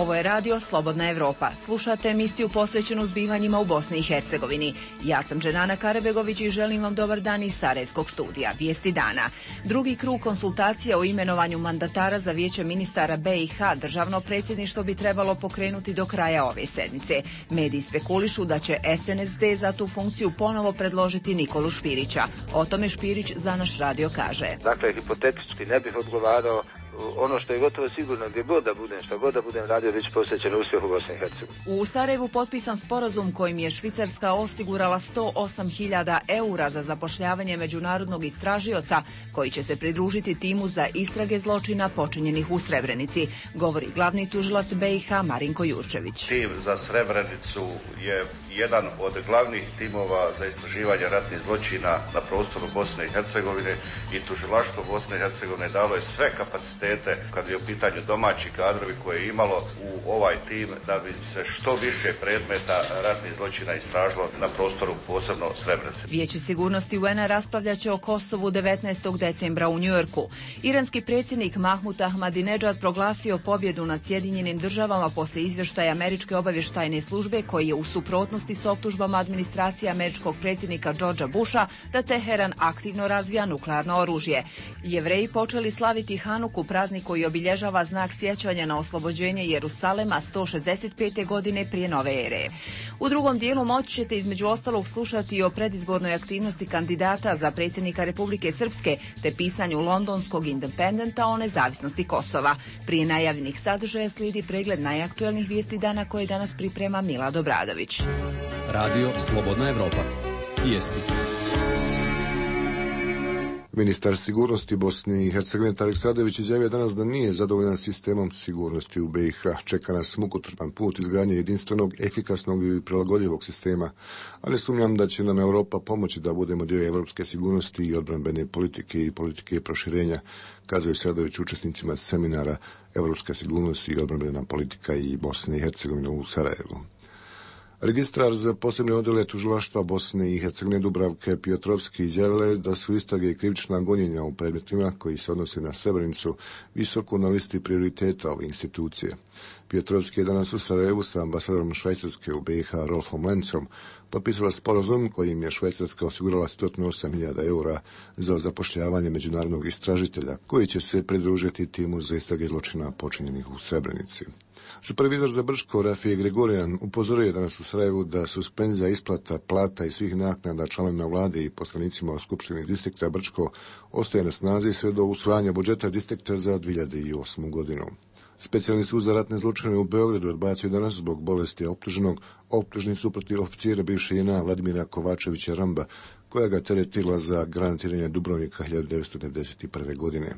Ovo je radio Slobodna Evropa. Slušate emisiju posvećenu zbivanjima u Bosni i Hercegovini. Ja sam Dženana Karabegović i želim vam dobar dan iz Sarajevskog studija. Vijesti dana. Drugi krug konsultacija o imenovanju mandatara za Vijeće ministara BiH državno predsjedništvo bi trebalo pokrenuti do kraja ove sedmice. Mediji spekulišu da će SNSD za tu funkciju ponovo predložiti Nikolu Špirića. O tome Špirić za naš radio kaže. Dakle, hipotetički ne bih odgovarao. Ono što je gotovo sigurno, gdje god da budem, što god da budem radio, bit će posvećen uspjehu Bosne i Hercegovine. U Sarajevu potpisan sporazum kojim je Švicarska osigurala 108.000 eura za zapošljavanje međunarodnog istražioca koji će se pridružiti timu za istrage zločina počinjenih u Srebrenici, govori glavni tužilac BiH Marinko Jurčević. Tim za Srebrenicu je jedan od glavnih timova za istraživanje ratnih zločina na prostoru Bosne i Hercegovine i tužilaštvo Bosne i Hercegovine dalo je sve kapacitete kad je u pitanju domaći kadrovi koje je imalo u ovaj tim da bi se što više predmeta ratnih zločina istražilo na prostoru posebno Srebrenice. Vijeće sigurnosti UN-a raspravljaće o Kosovu 19. decembra u Njujorku. Iranski predsjednik Mahmud Ahmadinejad proglasio pobjedu nad Sjedinjenim državama poslije izvještaja Američke obavještajne službe koji je u suprotnosti s optužbama administracije američkog predsjednika Georgea Busha da Teheran aktivno razvija nuklearno oružje. Jevreji počeli slaviti Hanuku, praznik koji obilježava znak sjećanja na oslobođenje Jerusalema 165. godine prije nove ere. U drugom dijelu moći ćete između ostalog slušati o predizbornoj aktivnosti kandidata za predsjednika Republike Srpske te pisanju londonskog Independenta o nezavisnosti Kosova. Prije najavljenih sadržaja slijedi pregled najaktuelnijih vijesti dana koje danas priprema Milad Obradović. Radio Slobodna Evropa. Vijesti. Ministar sigurnosti Bosne i Hercegovine Tarik Sadević izjavio danas da nije zadovoljan sistemom sigurnosti u BiH. Čeka nas mukotrpan put izgradnje jedinstvenog, efikasnog i prilagodljivog sistema, a ne sumnjam da će nam Europa pomoći da budemo dio evropske sigurnosti i odbrambene politike i politike proširenja, kazuje Sadević učesnicima seminara Evropska sigurnost i odbrambena politika i Bosne i Hercegovine u Sarajevu. Registrar za posebne odjele tužilaštva Bosne i Hercegovine Dubravke Piotrovski izjavila je da su istrage i krivična gonjenja u predmetima koji se odnose na Srebrenicu visoko na listi prioriteta ove institucije. Piotrovski je danas u Sarajevu sa ambasadorom Švajcarske u BiH Rolfom Lencom potpisala sporazum kojim je Švajcarska osigurala 108.000 eura za zapošljavanje međunarodnog istražitelja koji će se pridružiti timu za istrage zločina počinjenih u Srebrenici. Supervizor za Brčko Rafije Gregorijan upozorio je danas u Sarajevu da suspenzija isplata plata i svih naknada članovima vlade i poslanicima u Skupštini distrikta Brčko ostaje na snazi sve do usvajanja budžeta distrikta za 2008. godinu. Specijalni sud za ratne zločine u Beogradu odbacio danas zbog bolesti optuženog optužnicu protiv oficira bivše JNA Vladimira Kovačevića Ramba, koja ga teretila za granatiranje Dubrovnika 1991. godine.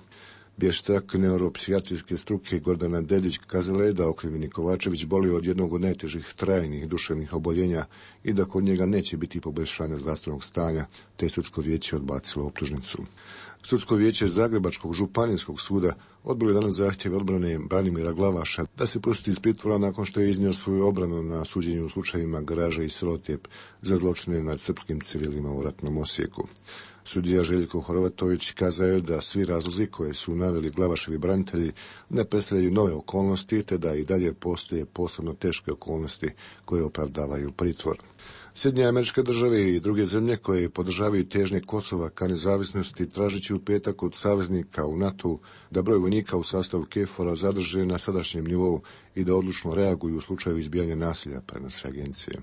Vještak neuropsijatrijske struke Gordana Dedić kazala je da okrivljeni Kovačević boli od jednog od najtežih trajnih duševnih oboljenja i da kod njega neće biti poboljšanja zdravstvenog stanja, te sudsko vijeće odbacilo optužnicu. Sudsko vijeće Zagrebačkog županijskog suda odbilo je danas zahtjeve odbrane Branimira Glavaša da se pusti iz pritvora nakon što je iznio svoju obranu na suđenju u slučajevima Garaža i Srotjep za zločine nad srpskim civilima u ratnom Osijeku. Sudija Željko Horvatović kazao je da svi razlozi koje su naveli Glavaševi branitelji ne predstavljaju nove okolnosti, te da i dalje postoje posebno teške okolnosti koje opravdavaju pritvor. Sjedinjene Američke Države i druge zemlje koje podržavaju težnje Kosova ka nezavisnosti tražeći u petak od saveznika u NATO da broj vojnika u sastavu KFOR-a zadrže na sadašnjem nivou i da odlučno reaguju u slučaju izbijanja nasilja, prenose agencije.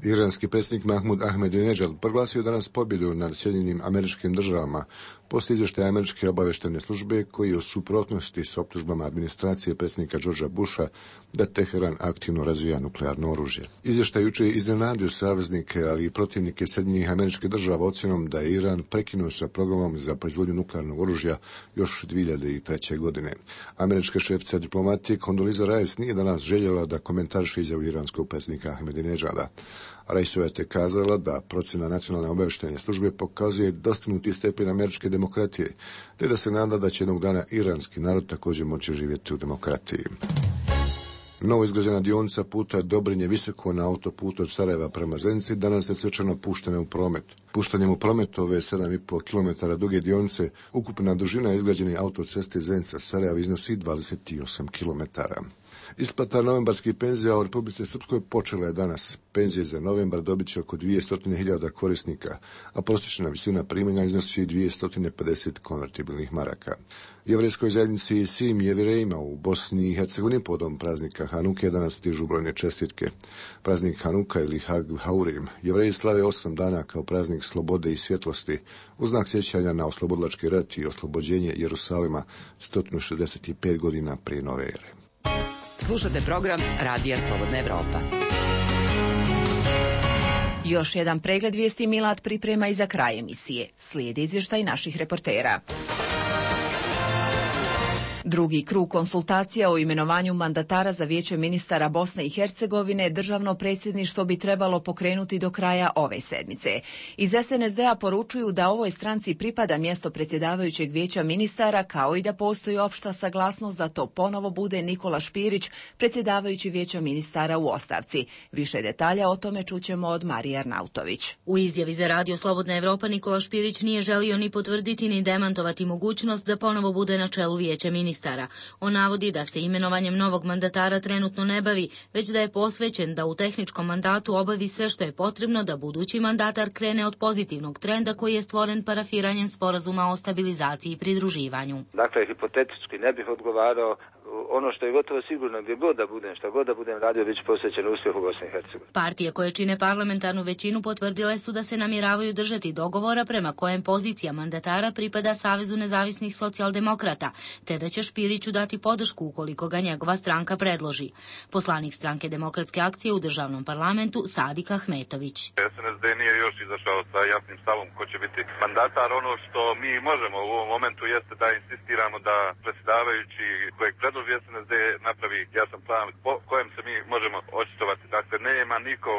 Iranski predsjednik Mahmud Ahmadinejad proglasio danas pobjedu nad Sjedinjenim Američkim Državama poslije izvještaja Američke obavještajne službe koji je u suprotnosti s optužbama administracije predsjednika Georgea Busha da Teheran aktivno razvija nuklearno oružje. Izvještaj jučer je iznenadio saveznike, ali i protivnike Sjedinjenih Američkih Država ocjenom da je Iran prekinuo sa programom za proizvodnju nuklearnog oružja još 2003. godine. Američka šefica diplomatije Condoleezza Rice nije danas željela da komentariše izjavu iranskog predsjednika Ahmadinejada. Riceova je kazala da procjena nacionalne obavještajne službe pokazuje dostignuti stepen američke demokratije, te da se nada da će jednog dana iranski narod također moći živjeti u demokratiji. Novo izgrađena dionica puta Dobrinje Visoko na autoputu od Sarajeva prema Zenici danas je svečano puštena u promet. Puštanjem u promet ove 7,5 km duge dionice ukupna dužina izgrađene autoceste Zenica-Sarajevo iznosi 28 km. Isplata novembarskih penzija u Republici Srpskoj počela je danas. Penzije za novembar dobit će oko 200.000 korisnika, a prosječna visina primanja iznosi 250 konvertibilnih maraka. Jevrejskoj zajednici i svim jevrejima u Bosni i Hercegovini povodom praznika Hanuke danas stižu brojne čestitke. Praznik Hanuka ili Hag Haurim jevreji slave 8 dana kao praznik slobode i svjetlosti u znak sjećanja na oslobodilački rat i oslobođenje Jerusalima 165 godina prije nove ere. Slušate program Radija Slobodna Evropa. Još jedan pregled vijesti Milad priprema i za kraj emisije. Slijedi izvještaj naših reportera. Drugi krug konsultacija o imenovanju mandatara za Vijeće ministara Bosne i Hercegovine državno predsjedništvo bi trebalo pokrenuti do kraja ove sedmice. Iz SNSD-a poručuju da ovoj stranci pripada mjesto predsjedavajućeg Vijeća ministara, kao i da postoji opšta saglasnost da to ponovo bude Nikola Špirić, predsjedavajući Vijeća ministara u ostavci. Više detalja o tome čućemo od Marije Arnautović. U izjavi za Radio Slobodna Evropa Nikola Špirić nije želio ni potvrditi ni demantovati mogućnost da ponovo bude na čelu Vijeća ministara. On navodi da se imenovanjem novog mandatara trenutno ne bavi, već da je posvećen da u tehničkom mandatu obavi sve što je potrebno da budući mandatar krene od pozitivnog trenda koji je stvoren parafiranjem sporazuma o stabilizaciji i pridruživanju. Dakle, hipotetički ne bih odgovarao. Ono što je gotovo sigurno, gdje god da budem, šta god da budem radio, bit će posvećen uspjehu Bosne i Hercegovine. Partije koje čine parlamentarnu većinu potvrdile su da se namjeravaju držati dogovora prema kojem pozicija mandatara pripada Savezu nezavisnih socijaldemokrata, te da će Špiriću dati podršku ukoliko ga njegova stranka predloži. Poslanik stranke Demokratske akcije u državnom parlamentu Sadik Ahmetović. SNSD nije još izašao sa jasnim stavom ko će biti mandatar. Ono što mi možemo u ovom momentu jeste da insistiramo da predsjedavajući kojeg predloži SNSD napravi jasan plan po kojem se mi možemo očitovati. Dakle, nema niko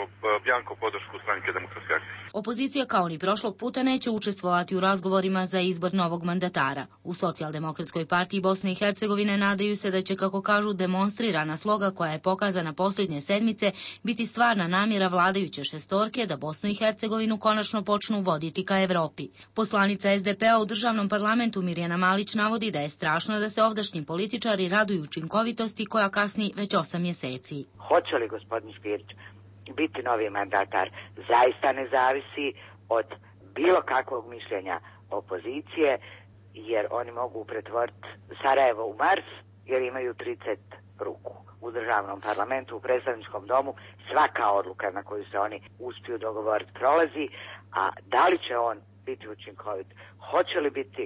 bjanko podršku stranke Demokratske akcije. Opozicija kao ni prošlog puta neće učestvovati u razgovorima za izbor novog mandatara. U Socijaldemokratskoj partiji Bosne i Hercegovine nadaju se da će, kako kažu, demonstrirana sloga koja je pokazana posljednje sedmice biti stvarna namjera vladajuće šestorke da Bosnu i Hercegovinu konačno počnu voditi ka Evropi. Poslanica SDP-a u državnom parlamentu Mirjana Malić navodi da je strašno da se ovdašnji političari raduju učinkovitosti koja kasni već 8 mjeseci. Hoće li gospodin Špirić biti novi mandatar zaista ne zavisi od bilo kakvog mišljenja opozicije, jer oni mogu pretvoriti Sarajevo u Mars jer imaju 30 ruku. U državnom parlamentu, u predstavničkom domu, svaka odluka na koju se oni uspiju dogovoriti prolazi, a da li će on biti učinkovit, hoće li biti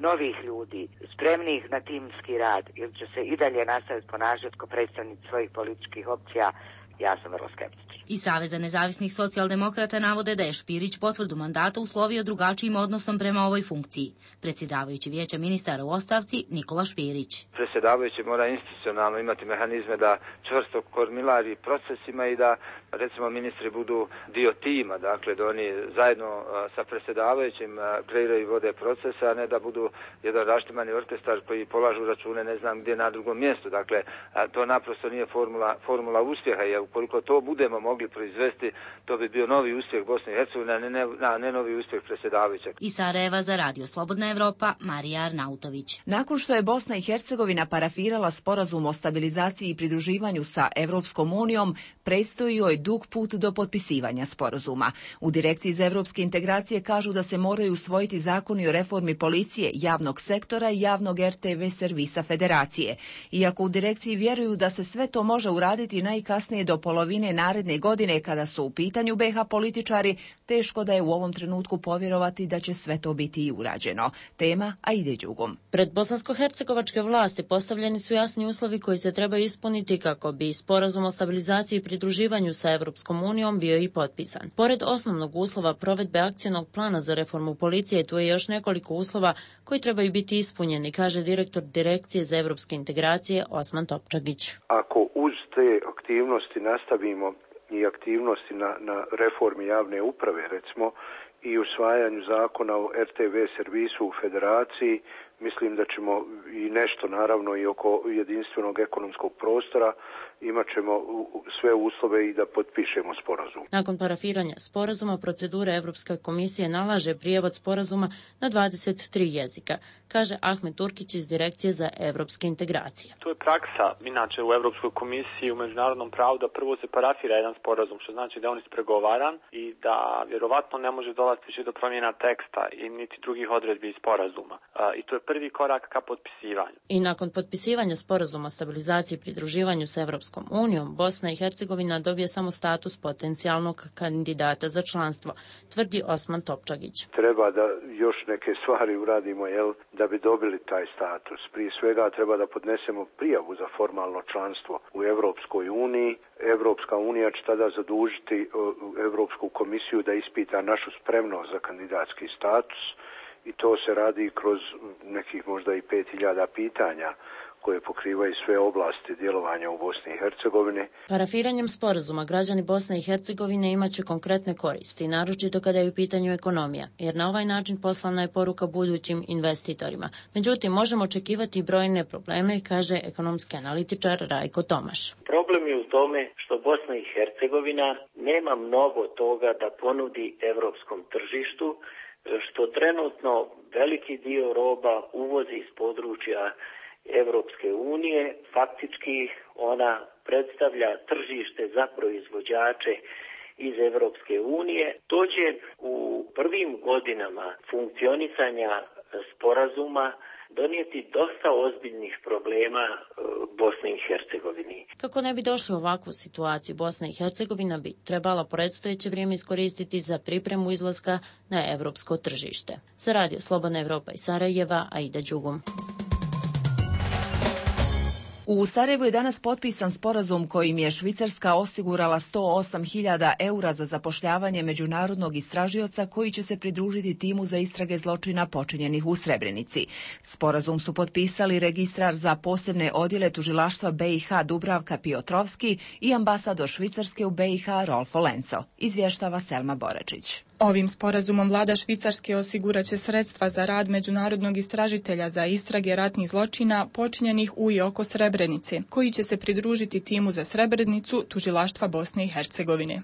novih ljudi, spremnih na timski rad, ili će se i dalje nastaviti ponašati kao predstavnici svojih političkih opcija, ja sam vrlo skeptičan. I Saveza nezavisnih socijaldemokrata navode da je Špirić potvrdu mandata uslovio drugačijim odnosom prema ovoj funkciji. Predsjedavajući Vijeća ministara u ostavci Nikola Špirić. Predsjedavajući mora institucionalno imati mehanizme da čvrsto kormilari procesima i da, recimo, ministri budu dio tima, dakle da oni zajedno sa predsjedavajućim kreiraju i vode procese, a ne da budu jedan raštimani orkestar koji polažu račune ne znam gdje na drugom mjestu. Dakle, to naprosto nije formula uspjeha, jer ukoliko to budemo mogli proizvesti, to bi bio novi uspjeh Bosne i Hercegovine, a ne novi uspjeh predsjedavajućeg. Iz Sarajeva za Radio Slobodna Evropa, Marija Arnautović. Nakon što je Bosna i Hercegovina parafirala sporazum o stabilizaciji i pridruživanju sa Evropskom unijom, predstoji joj dug put do potpisivanja sporazuma. U Direkciji za evropske integracije kažu da se moraju usvojiti zakoni o reformi policije, javnog sektora i javnog RTV servisa federacije. Iako u direkciji vjeruju da se sve to može uraditi najkasnije do polovine naredne godine kada su u pitanju BiH političari, teško da je u ovom trenutku povjerovati da će sve to biti i urađeno. Tema Aide Đugum. Pred bosansko-hercegovačke vlasti postavljeni su jasni uslovi koji se trebaju ispuniti kako bi sporazum o stabilizaciji i pridruživanju sa Evropskom unijom bio i potpisan. Pored osnovnog uslova provedbe akcijnog plana za reformu policije, tu je još nekoliko uslova koji trebaju biti ispunjeni, kaže direktor Direkcije za evropske integracije Osman Topčagić. Ako uz te aktivnosti nastavimo i aktivnosti na reformi javne uprave, recimo, i usvajanju zakona o RTV servisu u federaciji, mislim da ćemo i nešto naravno i oko jedinstvenog ekonomskog prostora imat ćemo sve uslove i da potpišemo sporazum. Nakon parafiranja sporazuma, procedura Evropske komisije nalaže prijevod sporazuma na 23 jezika, kaže Ahmet Turkić iz Direkcije za evropske integracije. To je praksa, inače u Evropskoj komisiji u međunarodnom pravu, da prvo se parafira jedan sporazum, što znači da je on ispregovaran i da vjerovatno ne može dolaziti do promjena teksta i niti drugih odredbi iz sporazuma. I to je prvi korak ka potpisivanju. I nakon potpisivanja sporazuma o stabilizaciji i pridruživanju sa Evropskom unijom, Bosna i Hercegovina dobije samo status potencijalnog kandidata za članstvo, tvrdi Osman Topčagić. Treba da još neke stvari uradimo, da bi dobili taj status. Prije svega treba da podnesemo prijavu za formalno članstvo u Evropskoj uniji. Evropska unija će tada zadužiti Evropsku komisiju da ispita našu spremnost za kandidatski status i to se radi kroz nekih možda i 5.000 pitanja koje pokrivaju sve oblasti djelovanja u Bosni i Hercegovini. Parafiranjem sporazuma građani Bosne i Hercegovine imaće konkretne koristi, naročito kada je u pitanju ekonomija, jer na ovaj način poslana je poruka budućim investitorima. Međutim, možemo očekivati brojne probleme, kaže ekonomski analitičar Rajko Tomaš. Problem je u tome što Bosna i Hercegovina nema mnogo toga da ponudi evropskom tržištu, što trenutno veliki dio roba uvozi iz područja Evropske unije. Faktički ona predstavlja tržište za proizvođače iz Evropske unije. To će u prvim godinama funkcionisanja sporazuma donijeti dosta ozbiljnih problema Bosni i Hercegovini. Kako ne bi došli u ovakvu situaciju, Bosna i Hercegovina bi trebala predstojeće vrijeme iskoristiti za pripremu izlaska na evropsko tržište. Za Radio Slobodna Evropa iz Sarajeva, Aida Đugum. U Sarajevu je danas potpisan sporazum kojim je Švicarska osigurala 108.000 eura za zapošljavanje međunarodnog istražioca koji će se pridružiti timu za istrage zločina počinjenih u Srebrenici. Sporazum su potpisali registrar za posebne odjele tužilaštva BiH Dubravka Piotrovski i ambasador Švicarske u BiH Rolfo Lenco, izvještava Selma Boračić. Ovim sporazumom vlada Švicarske osiguraće sredstva za rad međunarodnog istražitelja za istrage ratnih zločina počinjenih u i oko Srebrenice, koji će se pridružiti timu za Srebrenicu tužilaštva Bosne i Hercegovine.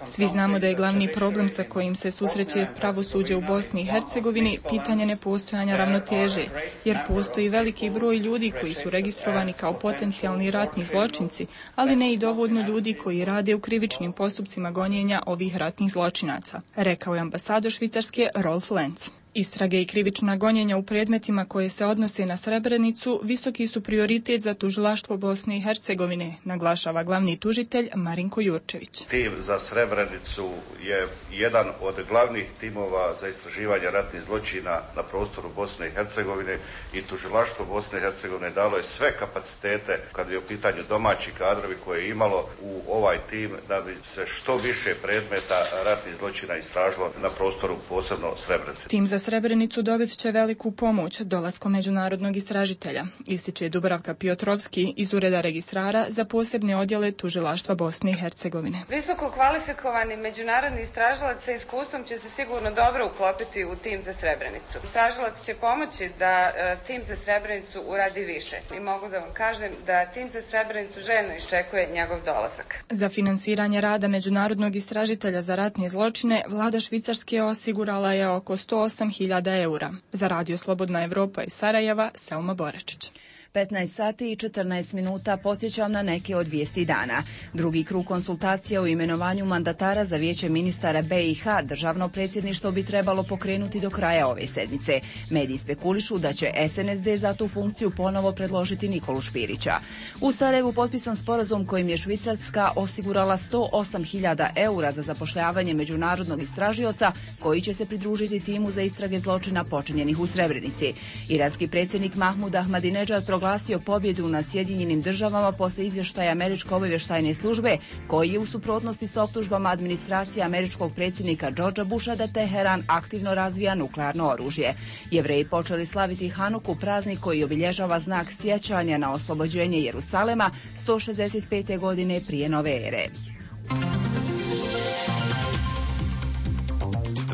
Svi znamo da je glavni problem sa kojim se susreće pravosuđe u Bosni i Hercegovini pitanje nepostojanja ravnoteže, jer postoji veliki broj ljudi koji su registrovani kao potencijalni ratni zločinci, ali ne i dovoljno ljudi koji rade u krivičnim postupcima gonjenja ovih ratnih zločinaca, rekao je ambasador Švicarske Rolf Lenz. Istrage i krivična gonjenja u predmetima koje se odnose na Srebrenicu visoki su prioritet za tužilaštvo Bosne i Hercegovine, naglašava glavni tužitelj Marinko Jurčević. Tim za Srebrenicu je jedan od glavnih timova za istraživanje ratnih zločina na prostoru Bosne i Hercegovine i tužilaštvo Bosne i Hercegovine dalo je sve kapacitete kad je u pitanju domaći kadrovi koje je imalo u ovaj tim da bi se što više predmeta ratnih zločina istražilo na prostoru posebno Srebrenice. Tim za Srebrenicu dobit će veliku pomoć dolaskom međunarodnog istražitelja, ističe Dubravka Piotrovski iz Ureda registrara za posebne odjele tužilaštva Bosne i Hercegovine. Visoko kvalifikovani međunarodni istražilac sa iskustvom će se sigurno dobro uklopiti u tim za Srebrenicu. Istražilac će pomoći da tim za Srebrenicu uradi više. I mogu da vam kažem da tim za Srebrenicu željno iščekuje njegov dolazak. Za finansiranje rada međunarodnog istražitelja za ratne zločine vlada Švicarske osigurala je oko 108.000 eura. Za Radio Slobodna Evropa iz Sarajeva, Selma Boračić. 15 sati i 14 minuta podsjećam na neke od vijesti dana. Drugi krug konsultacija o imenovanju mandatara za vijeće ministara BiH državno predsjedništvo bi trebalo pokrenuti do kraja ove sedmice. Mediji spekulišu da će SNSD za tu funkciju ponovo predložiti Nikolu Špirića. U Sarajevu potpisan sporazum kojim je Švicarska osigurala 108.000 eura za zapošljavanje međunarodnog istražioca koji će se pridružiti timu za istrage zločina počinjenih u Srebrenici. Iranski predsjednik Mahmud Ahmadinejad proglasio pobjedu nad Sjedinjenim državama posle izvještaja Američke obavještajne službe, koji je u suprotnosti s optužbama administracije američkog predsjednika Georgea Busha da Teheran aktivno razvija nuklearno oružje. Jevreji počeli slaviti Hanuku, praznik koji obilježava znak sjećanja na oslobođenje Jerusalema 165. godine prije nove ere.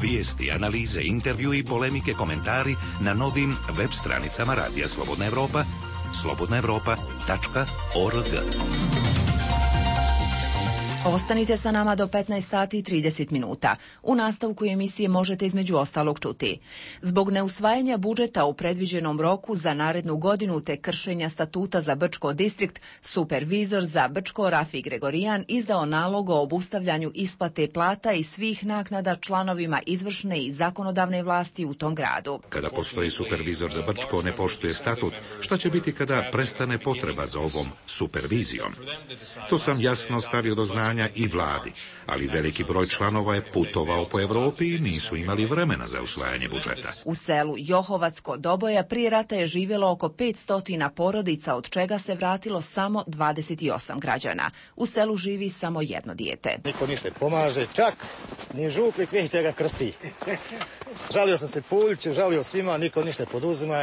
Vijesti, analize, intervju i polemike, komentari na novim web stranicama Radija Slobodna Evropa, slobodnaevropa.org. Ostanite sa nama do 15 sati i 30 minuta. U nastavku emisije možete između ostalog čuti. Zbog neusvajanja budžeta u predviđenom roku za narednu godinu te kršenja statuta za Brčko distrikt, supervizor za Brčko Rafi Gregorijan izdao nalog o obustavljanju isplate plata i svih naknada članovima izvršne i zakonodavne vlasti u tom gradu. Kada postoji supervizor za Brčko ne poštuje statut, šta će biti kada prestane potreba za ovom supervizijom? To sam jasno stavio do znanja i vladi, ali veliki broj članova je putovao po Evropi i nisu imali vremena za usvajanje budžeta. U selu Johovac kod Doboja prije rata je živjelo oko 500 porodica, od čega se vratilo samo 28 građana. U selu živi samo jedno dijete. Niko ništa pomaže, čak ni župnik neće ga krsti. Žalio sam se Puljiću, žalio svima, niko ništa poduzima.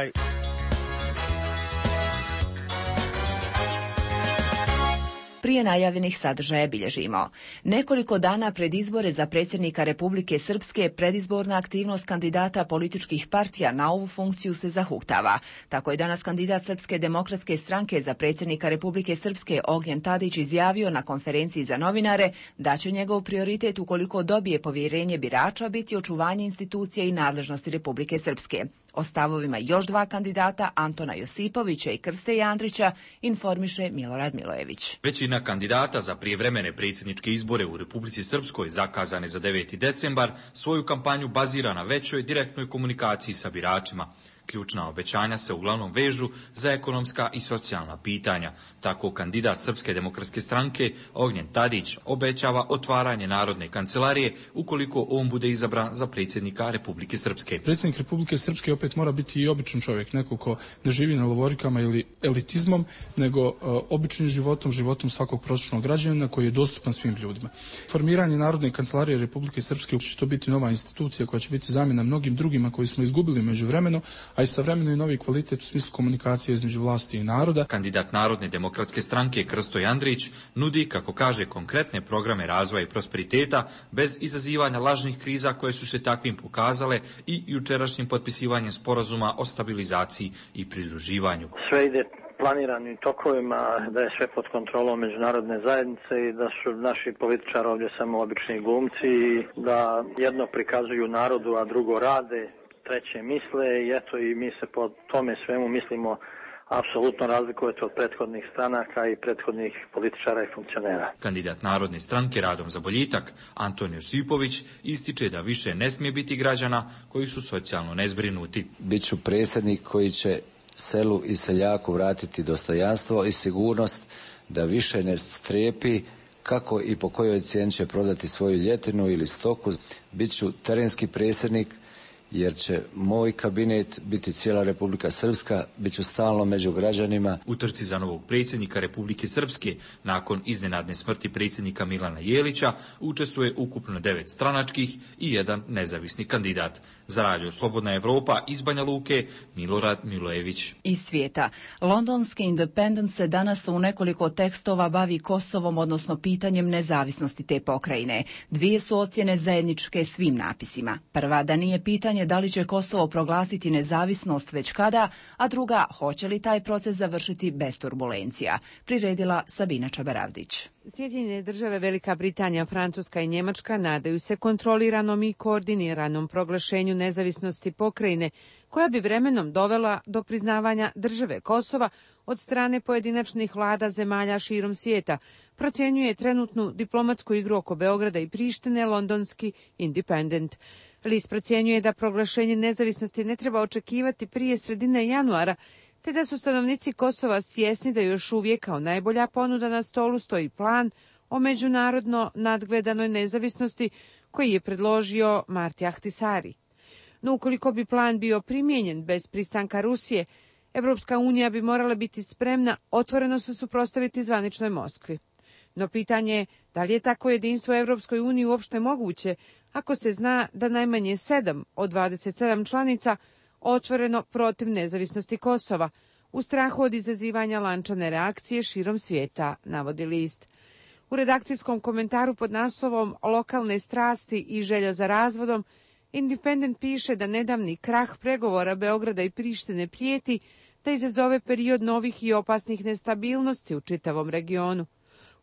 Prije najavljenih sadržaja bilježimo. Nekoliko dana pred izbore za predsjednika Republike Srpske predizborna aktivnost kandidata političkih partija na ovu funkciju se zahuktava. Tako je danas kandidat Srpske demokratske stranke za predsjednika Republike Srpske Ognjen Tadić izjavio na konferenciji za novinare da će njegov prioritet ukoliko dobije povjerenje birača biti očuvanje institucija i nadležnosti Republike Srpske. O stavovima još dva kandidata, Antona Josipovića i Krste Andrića, informiše Milorad Milojević. Većina kandidata za prijevremene predsjedničke izbore u Republici Srpskoj, zakazane za 9. decembar, svoju kampanju bazira na većoj direktnoj komunikaciji sa biračima. Ključna obećanja se uglavnom vežu za ekonomska i socijalna pitanja. Tako kandidat Srpske demokratske stranke Ognjen Tadić obećava otvaranje Narodne kancelarije ukoliko on bude izabran za predsjednika Republike Srpske. Predsjednik Republike Srpske opet mora biti i običan čovjek, neko ko ne živi na lovorikama ili elitizmom, nego običnim životom svakog prosječnog građanina koji je dostupan svim ljudima. Formiranje Narodne kancelarije Republike Srpske će to biti nova institucija koja će biti zamjena mnogim drugima koji smo izgubili međuvremeno, a istovremeno i novi kvalitet u smislu komunikacije između vlasti i naroda. Kandidat Narodne demokratske stranke Krsto Andrić nudi, kako kaže, konkretne programe razvoja i prosperiteta bez izazivanja lažnih kriza koje su se takvim pokazale i jučerašnjim potpisivanjem sporazuma o stabilizaciji i pridruživanju. Sve ide planiranim tokovima, da je sve pod kontrolom međunarodne zajednice i da su naši političari ovdje samo obični glumci i da jedno prikazuju narodu, a drugo rade, treće misle i eto i mi se po tome svemu mislimo apsolutno razlikujete od prethodnih stranaka i prethodnih političara i funkcionera. Kandidat Narodne stranke Radom za boljitak Anton Josipović ističe da više ne smije biti građana koji su socijalno nezbrinuti. Biću predsjednik koji će selu i seljaku vratiti dostojanstvo i sigurnost da više ne strepi kako i po kojoj cijeni će prodati svoju ljetinu ili stoku. Biću terenski predsjednik jer će moj kabinet biti cijela Republika Srpska, bit ću stalno među građanima. U trci za novog predsjednika Republike Srpske, nakon iznenadne smrti predsjednika Milana Jelića, učestvuje ukupno 9 stranačkih i 1 nezavisni kandidat. Za Radio Slobodna Evropa iz Banja Luke, Milorad Milojević. Iz svijeta. Londonski Independent se danas u nekoliko tekstova bavi Kosovom, odnosno pitanjem nezavisnosti te pokrajine. Dvije su ocjene zajedničke svim napisima. Prva, da nije pitanje da li će Kosovo proglasiti nezavisnost već kada, a druga, hoće li taj proces završiti bez turbulencija. Priredila Sabina Čabaravdić. Sjedinjene države, Velika Britanija, Francuska i Njemačka nadaju se kontroliranom i koordiniranom proglašenju nezavisnosti pokrajine, koja bi vremenom dovela do priznavanja države Kosova od strane pojedinačnih vlada zemalja širom svijeta, procjenjuje trenutnu diplomatsku igru oko Beograda i Prištine londonski Independent. List procjenjuje da proglašenje nezavisnosti ne treba očekivati prije sredine januara, te da su stanovnici Kosova svjesni da još uvijek kao najbolja ponuda na stolu stoji plan o međunarodno nadgledanoj nezavisnosti koji je predložio Marti Ahtisari. No ukoliko bi plan bio primijenjen bez pristanka Rusije, Evropska unija bi morala biti spremna otvoreno se suprotstaviti zvaničnoj Moskvi. No pitanje je da li je tako jedinstvo u Evropskoj uniji uopšte moguće ako se zna da najmanje 7 od 27 članica otvoreno protiv nezavisnosti Kosova, u strahu od izazivanja lančane reakcije širom svijeta, navodi list. U redakcijskom komentaru pod naslovom Lokalne strasti i želja za razvodom, Independent piše da nedavni krah pregovora Beograda i Prištine prijeti da izazove period novih i opasnih nestabilnosti u čitavom regionu.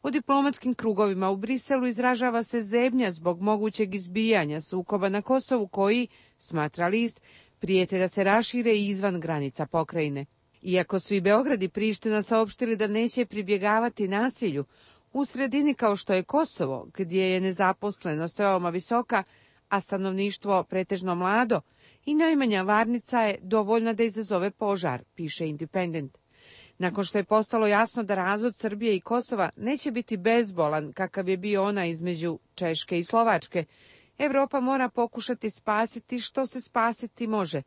U diplomatskim krugovima u Briselu izražava se zebnja zbog mogućeg izbijanja sukoba na Kosovu koji, smatra list, prijete da se rašire i izvan granica pokrajine. Iako su i Beograd i Priština saopštili da neće pribjegavati nasilju, u sredini kao što je Kosovo, gdje je nezaposlenost veoma visoka, a stanovništvo pretežno mlado, i najmanja varnica je dovoljna da izazove požar, piše Independent. Nakon što je postalo jasno da razvod Srbije i Kosova neće biti bezbolan kakav je bio ona između Češke i Slovačke, Evropa mora pokušati spasiti što se spasiti može.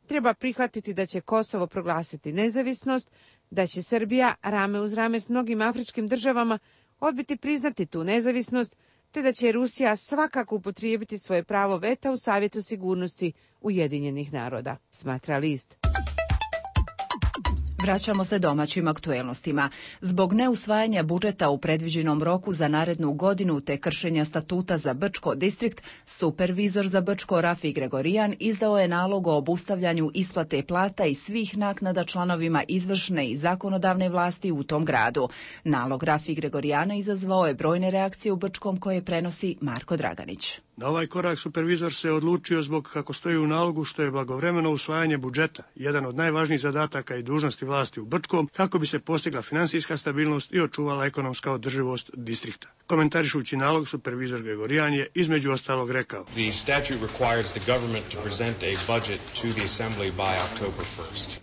Treba prihvatiti da će Kosovo proglasiti nezavisnost, da će Srbija rame uz rame s mnogim afričkim državama odbiti priznati tu nezavisnost, te da će Rusija svakako upotrijebiti svoje pravo veta u Savjetu sigurnosti Ujedinjenih naroda, smatra list. Vraćamo se domaćim aktuelnostima. Zbog neusvajanja budžeta u predviđenom roku za narednu godinu te kršenja statuta za Brčko distrikt, supervizor za Brčko Rafi Gregorijan izdao je nalog o obustavljanju isplate plata i svih naknada članovima izvršne i zakonodavne vlasti u tom gradu. Nalog Rafi Gregorijana izazvao je brojne reakcije u Brčkom koje prenosi Marko Draganić. Na ovaj korak supervizor se odlučio zbog, kako stoji u nalogu, što je blagovremeno usvajanje budžeta, jedan od najvažnijih zadataka i dužnosti vlasti u Brčkom, kako bi se postigla finansijska stabilnost i očuvala ekonomska održivost distrikta. Komentarišući nalog, supervizor Gregorijan je između ostalog rekao: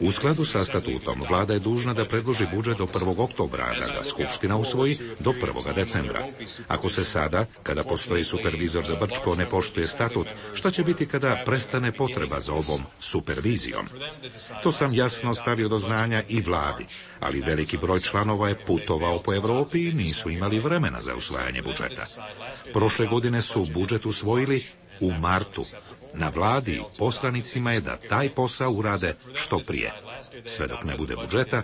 U skladu sa statutom, vlada je dužna da predloži budžet do 1. oktobra, a da ga Skupština usvoji do 1. decembra. Ako se sada, kada postoji supervizor za Brčko, ne poštuje statut, šta će biti kada prestane potreba za ovom supervizijom? To sam jasno stavio do znanja i vladi, ali veliki broj članova je putovao po Evropi i nisu imali vremena za usvajanje budžeta. Prošle godine su budžet usvojili u martu. Na vladi i poslanicima je da taj posao urade što prije. Sve dok ne bude budžeta,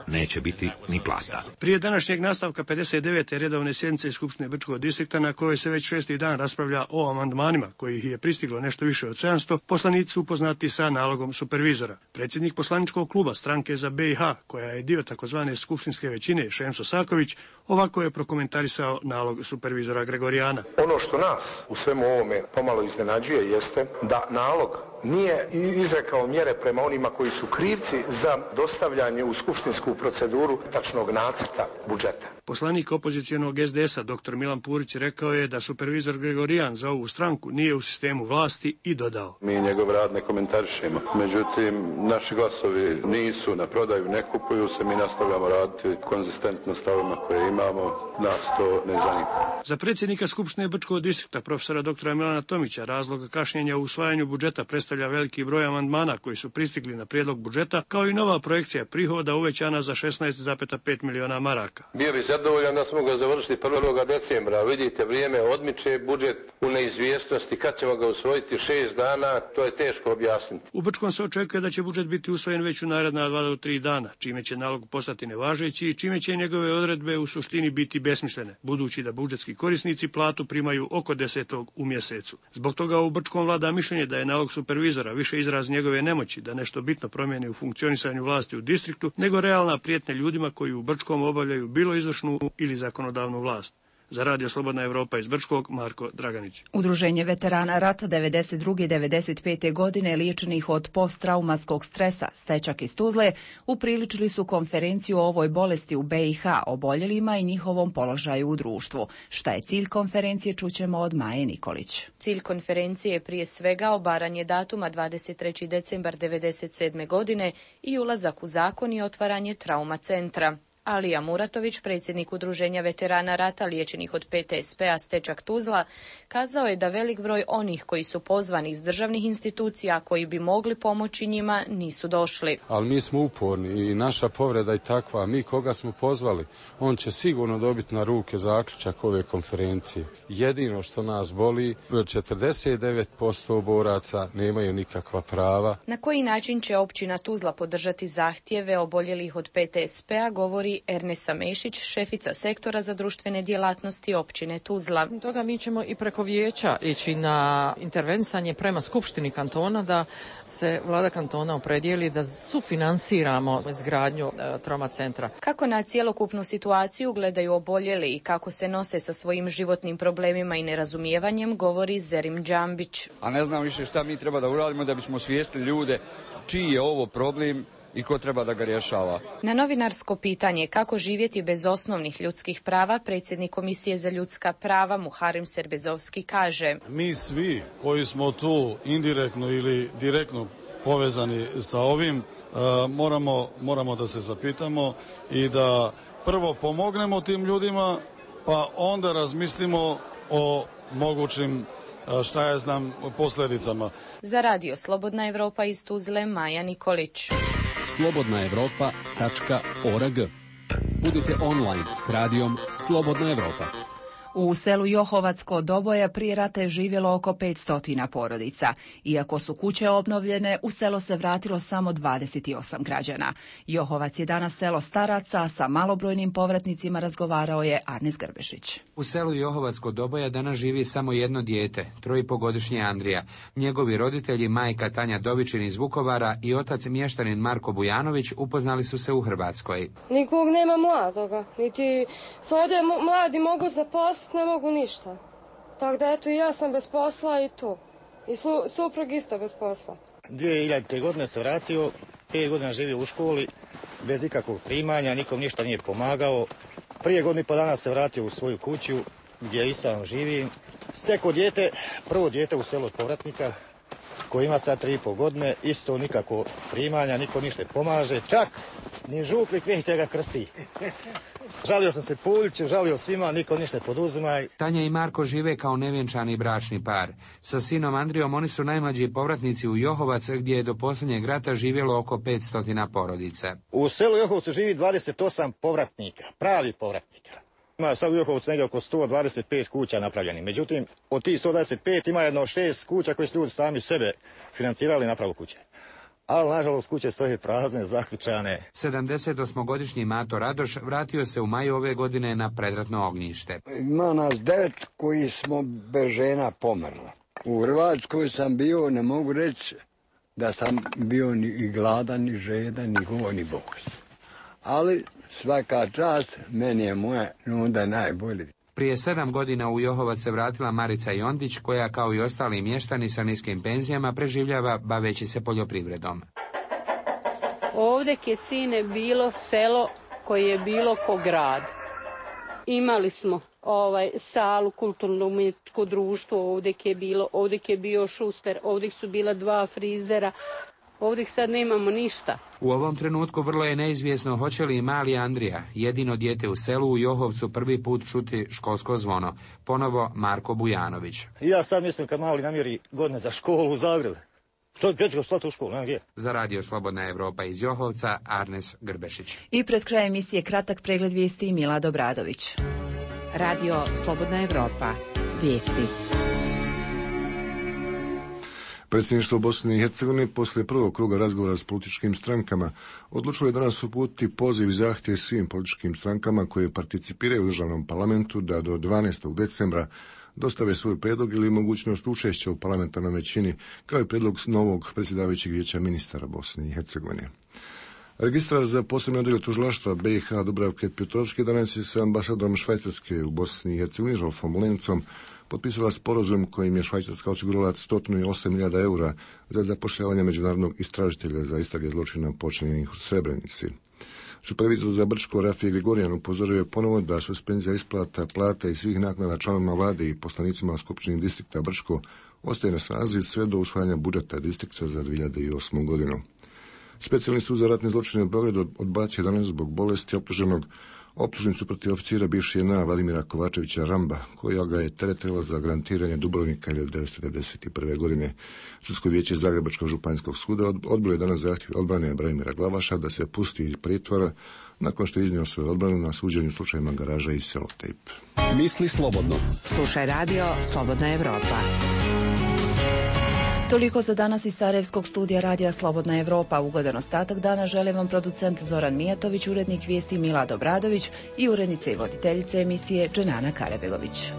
neće biti ni plata. Prije današnjeg nastavka 59. redovne sjednice Skupštine Brčkog distrikta, na kojoj se već 6. dan raspravlja o amandmanima, kojih je pristiglo nešto više od 700, poslanici su upoznati sa nalogom supervizora. Predsjednik poslaničkog kluba Stranke za BiH, koja je dio takozvane skupštinske većine, Šemso Saković, ovako je prokomentarisao nalog supervizora Gregorijana. Ono što nas u svemu ovome pomalo iznenađuje jeste da nalog nije izrekao mjere prema onima koji su krivci za dostavljanje u skupštinsku proceduru tačnog nacrta budžeta. Poslanik opozicijonog SDS-a dr. Milan Purić rekao je da supervizor Gregorijan za ovu stranku nije u sistemu vlasti i dodao: Mi njegov rad ne komentarišemo, međutim naši glasovi nisu na prodaju, ne kupuju se, mi nastavljamo raditi konzistentno stavima koje imamo, nas to ne zanima. Za predsjednika Skupštine Brčkog distrikta profesora dr. Milana Tomića razloga kašnjenja u usvajanju budžeta predstavlja veliki broj amandmana koji su pristigli na prijedlog budžeta, kao i nova projekcija prihoda uvećana za 16,5 miliona maraka. Bio bi zadovoljan da smo ga završili 1. decembra. Vidite, vrijeme odmiče, budžet u neizvjesnosti, kad ćemo ga usvojiti 6 dana, to je teško objasniti. U Brčkom se očekuje da će budžet biti usvojen već u naredna 2 do 3 dana, čime će nalog postati nevažeći i čime će njegove odredbe u suštini biti besmislene, budući da budžetski korisnici platu primaju oko 10. u mjesecu. Zbog toga u Brčkom vlada mišljenje da je nalog supervizora više izraz njegove nemoći da nešto bitno promijeni u funkcionisanju vlasti u distriktu, nego realna prijetnja ljudima koji u Brčkom obavljaju bilo izvršnu ili zakonodavnu vlast. Za Radio Slobodna Evropa iz Brčkog, Marko Draganić. Udruženje veterana rata 92. i 95. godine liječenih od posttraumatskog stresa, Stečak iz Tuzle, upriličili su konferenciju o ovoj bolesti u BiH, oboljelima i njihovom položaju u društvu. Šta je cilj konferencije, čućemo od Maje Nikolić. Cilj konferencije je prije svega obaranje datuma 23. decembar 97. godine i ulazak u zakon i otvaranje trauma centra. Alija Muratović, predsjednik Udruženja veterana rata liječenih od PTSP-a Stečak Tuzla, kazao je da velik broj onih koji su pozvani iz državnih institucija koji bi mogli pomoći njima nisu došli. Ali mi smo uporni i naša povreda je takva. Mi koga smo pozvali, on će sigurno dobiti na ruke zaključak ove konferencije. Jedino što nas boli, 49% boraca nemaju nikakva prava. Na koji način će općina Tuzla podržati zahtjeve oboljelih od PTSP-a, govori govori Ernesa Mešić, šefica sektora za društvene djelatnosti općine Tuzla. Toga mi ćemo i preko vijeća ići na intervenisanje prema Skupštini kantona da se vlada kantona opredijeli da sufinansiramo izgradnju trauma centra. Kako na cjelokupnu situaciju gledaju oboljeli i kako se nose sa svojim životnim problemima i nerazumijevanjem, govori Zerim Džambić. A ne znam više šta mi treba da uradimo da bismo osvijestili ljude čiji je ovo problem i ko treba da ga rješava. Na novinarsko pitanje kako živjeti bez osnovnih ljudskih prava, predsjednik Komisije za ljudska prava Muharem Serbezovski kaže: Mi svi koji smo tu indirektno ili direktno povezani sa ovim, moramo da se zapitamo i da prvo pomognemo tim ljudima, pa onda razmislimo o mogućim posljedicama. Za radio Slobodna Evropa iz Tuzle, Maja Nikolić. slobodnaevropa.org. Budite online s radijom Slobodna Evropa. U selu Johovac kod Doboja prije rata je živjelo oko 500 porodica. Iako su kuće obnovljene, u selo se vratilo samo 28 građana. Johovac je danas selo staraca, sa malobrojnim povratnicima razgovarao je Arnes Grbešić. U selu Johovac kod Doboja danas živi samo jedno dijete, 3,5-godišnji Andrija. Njegovi roditelji, majka Tanja Dovičin iz Vukovara i otac mještanin Marko Bujanović upoznali su se u Hrvatskoj. Nikog nema mladoga, niti se ovdje mladi mogu zaposliti, ne mogu ništa. Tako da eto i ja sam bez posla i to. I suprug isto bez posla. 2000. godine se vratio, 5 godina živio u školi, bez ikakvog primanja, nikom ništa nije pomagao. Prije godinu i po dana se vratio u svoju kuću, gdje i sam živim. Stekao dijete, prvo dijete u selu od povratnika, koji ima sad 3,5 godine, isto nikako primanja, niko ništa pomaže, čak ni župnik neće ga krsti. Žalio sam se Puljiću, žalio svima, niko ništa poduzima. Tanja i Marko žive kao nevjenčani bračni par. Sa sinom Andrijom oni su najmlađi povratnici u Johovac, gdje je do posljednjeg rata živjelo oko 500 porodica. U selu Johovcu živi 28 povratnika, pravi povratnika. Ima sad u Johovcu negdje oko 125 kuća napravljenih. Međutim, od tih 125 ima jedno 6 kuća koje su ljudi sami sebe financirali i napravili kuće. Ali, nažalost, kuće stoje prazne, zaključane. 78-godišnji Mato Radoš vratio se u maju ove godine na predratno ognjište. Ima nas 9 koji smo bez žena pomrla. U Hrvatskoj sam bio, ne mogu reći da sam bio ni gladan, ni žedan, ni go, ni bos. Ali svaka čast, meni je moja onda najbolje. Prije 7 godina u Johovac se vratila Marica Jondić, koja kao i ostali mještani sa niskim penzijama preživljava baveći se poljoprivredom. Ovdje je sine bilo selo koje je bilo ko grad. Imali smo salu, kulturno-umjetničko društvo, ovdje je bio šuster, ovdje su bila 2 frizera. Ovdje sad nemamo ništa. U ovom trenutku vrlo je neizvjesno hoće li i mali Andrija, jedino dijete u selu u Johovcu, prvi put čuti školsko zvono. Ponovo Marko Bujanović. Ja sad mislim kad mali namjeri godine za školu u Zagreb. Što ću ga slati u školu, nema gdje. Za radio Slobodna Evropa iz Johovca, Arnes Grbešić. I pred krajem emisije kratak pregled vijesti Milad Obradović. Radio Slobodna Evropa. Vijesti. Predsjedništvo Bosne i Hercegovine poslije prvog kruga razgovora s političkim strankama odlučilo je danas uputiti poziv i zahtjev svim političkim strankama koje participiraju u državnom parlamentu da do 12. decembra dostave svoj prijedlog ili mogućnost učešća u parlamentarnoj većini, kao i prijedlog novog predsjedavajućeg vijeća ministara Bosne i Hercegovine. Registrar za posebne odjel tužilaštva BiH Dubravke Pjotrovski danas je sa ambasadorom Švajcarske u Bosni i Hercegovini Rolfom Lencom potpisala sporazum kojim je Švajcarska osigurala 108.000 eura za zapošljavanje međunarodnog istražitelja za istrage zločina počinjenih u Srebrenici. Supervizor za Brčko Rafije Grigorijan upozorio je ponovo da suspenzija isplata plata i svih naknada članovima vlade i poslanicima Skupštine distrikta Brčko ostaje na snazi sve do usvajanja budžeta distrikta za 2008. godinu. Specijalni sud za ratne zločine u Beogradu odbacio danas zbog bolesti optuženog optužnicu protiv oficira bivše JNA Vladimira Kovačevića Ramba, koja ga je teretila za garantiranje Dubrovnika 1991. godine. Sudsko vijeće Zagrebačkog županijskog suda odbilo je danas zahtjev odbrane Branimira Glavaša da se pusti iz pritvora nakon što je iznio svoju odbranu na suđenju slučajima Garaža i Selotejp. Misli slobodno. Slušaj radio Slobodna Evropa. Toliko za danas iz Sarajevskog studija Radija Slobodna Evropa. Ugodan ostatak dana želim vam producent Zoran Mijatović, urednik vijesti Milad Obradović i urednica i voditeljica emisije Dženana Karabegović.